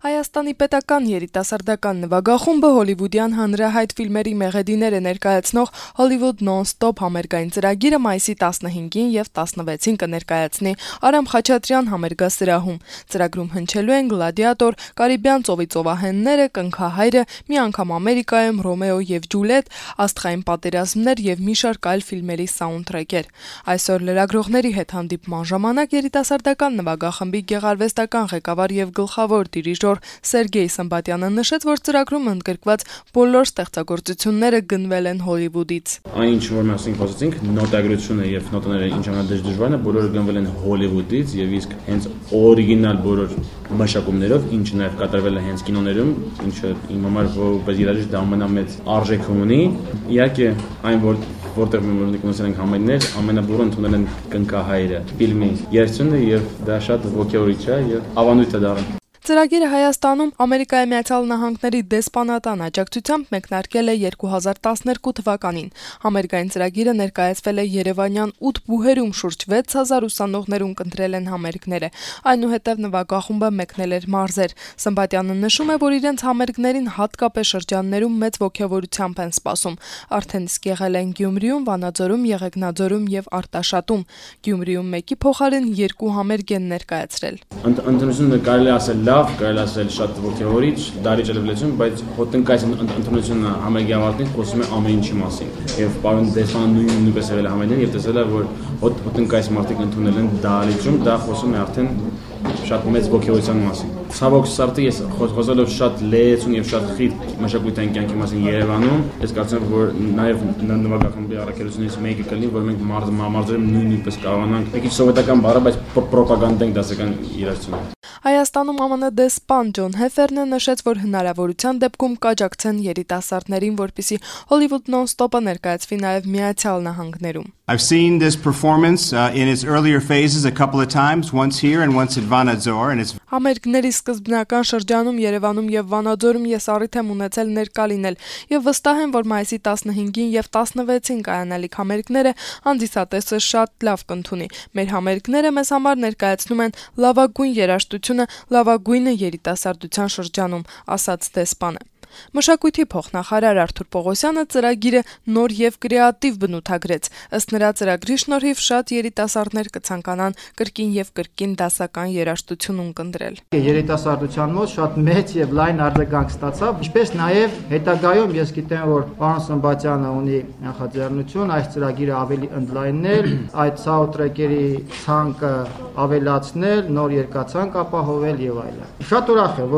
Հայաստանի պետական երիտասարդական նվագախումբը հոլիվուդյան հանրահայտ ֆիլմերի մեղեդիները ներկայացնող Hollywood Non-Stop համերգային ծրագիրը մայիսի 15-ին եւ 16-ին կներկայացնի Արամ Խաչատրյան համերգասրահում։ Ծրագրում հնչելու են Գլադիատոր, Կարիբյան ծովի ծովահենները, Կնքահայրը, Մի անգամ Ամերիկայում, Ռոմեո եւ Ջուլիետ, Աստղային պատերազմներ եւ մի շարք այլ ֆիլմերի սաունդթրեքեր։ Այսօր լրագրողների հետ հանդիպման ժամանակ երիտասարդական նվագախմբի գեղարվեստական ղեկավար եւ գլխավոր դիրիժոր Սերգեյ Սմբատյանը նշեց, որ ծրագրում ընդգրկված բոլոր ստեղծագործությունները գնվել են Հոլիվուդից։ Այն ինչ որ մենք խոսեցինք, նոտագրությունը եւ նոտաները ինչ ամենադժ դժվարն է, բոլորը գնվել են Հոլիվուդից եւ իսկ հենց օրիգինալ բոլոր մշակումներով, ինչը նաեւ կատարվել է հենց կինոներում, ինչը իմ համար որպես երաժիշտ դա ամենամեծ արժեք ունի։ Իհարկե այն որտեղ մենք ունեցել ենք համերգներ, ամենաբուրը ընդունել են Կնքահայրը ֆիլմի երգությունը եւ դա շատ ոգեորիչ է եւ ավանդույթ է դառնում։ Ծրագիրը Հայաստանում Ամերիկայի Միացյալ Նահանգների դեսպանատան աջակցությամբ մեկնարկել է 2012 թվականին։ Համերգային ծրագիրը ներկայացվել է Երևանյան 8 բուհերում, շուրջ 6000 ուսանողներ ընտրել են համերգները։ Այնուհետև նվագախումբը մեկնել էր մարզեր։ Սմբատյանը նշում է, որ իրենց համերգներին հատկապես շրջաններում մեծ ոգևորությամբ են սպասում։ Արդեն իսկ եղել են Գյումրիում, Վանաձորում, Եղեգնաձորում եւ Արտաշատում։ Գյումրիում մեկի փոխարեն 2 համերգ են ներկայացրել։ Ընդունությունը կարելի ասել լավ, կարելի ասել շատ ոգևորիչ, դարիճ լեզուն, բայց հոտնկայս ընդունությունը համերգի ավարտին խոսում է ամեն ինչի մասին։ Եվ պարոն դեսպանը նույնպես եղել է համերգին եւ տեսել է, որ հոտնկայս մարդիկ ընդունել են դարիճում, դա խոսում է արդեն շատ մեծ ոգևորության մասին։ Ցավոք սրտի ես խոսելով շատ լեզուն եւ շատ խիտ մշակութային կյանքի մասին Երևանում, ես կարծում եմ, որ նաեւ նվագախմբի առաքելությունից մեկը կլինի, որ մենք մարզերում նույնպես կարողանանք մի քիչ սովետական բառը, բայց պրոպագանդենք դասական իրացությունը։ Հայաստանում ԱՄՆ դեսպան Ջոն Հեֆերնը նշեց, որ հնարավորության դեպքում կաջակցեն երիտասարդներին, որպեսզի Hollywood Non-Stop-ը ներկայացվի նաև Միացյալ Նահանգներում։ I've seen this performance in its earlier phases a couple of times, once here and once at Vanadzor, and it's Համերգների սկզբնական շրջանում Երևանում եւ Վանաձորում ես առիթ եմ ունեցել ներկա լինել եւ վստահ եմ, որ մայիսի 15-ին եւ 16-ին կայանալիք համերգները հանդիսատեսը շատ լավ կընդունի։ Մեր համերգները մեզ համար ներկայացնում են լավագույն երաժշտությունը, լավագույնը երիտասարդության շրջանում, ասաց դեսպանը։ Մշակույթի փոխնախարար Արթուր Պողոսյանը ծրագիրը նոր եւ կրեատիվ բնութագրեց։ Ըստ նրա ծրագրի շնորհիվ շատ երիտասարդներ կցանկանան կրկին եւ կրկին դասական երաժշտություն ունկնդրել։ Երիտասարդության մոտ շատ մեծ եւ լայն արձագանք ստացավ, ինչպես նաեւ հետագայում ես գիտեմ, որ պարոն Սմբատյանը ունի նախաձեռնություն այս ծրագիրը ավելի ընդլայնել, այդ սաունդթրեքերի ցանկը ավելացնել, նոր երկացանք ապահովել եւ այլն։ Շատ ուրախ եմ,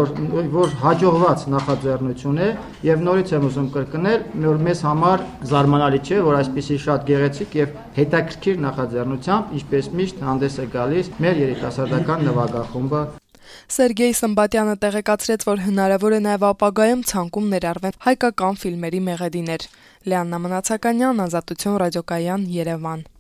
որ հաջողված նախաձեռնություն եւ նորից եմ ուզում կրկնել, որ մեզ համար զարմանալի չէ, որ այսպիսի շատ գեղեցիկ եւ հետաքրքիր նախաձեռնությամբ, ինչպես միշտ հանդես է գալիս մեր երիտասարդական նվագախումբը։ Սերգեյ Սմբատյանը տեղեկացրեց, որ հնարավոր է նաև ապագայում ցանկում ներառվեն հայկական ֆիլմերի մեղեդիներ։ Լիաննա Մնացականյան, Ազատություն ռադիոկայան, Երևան։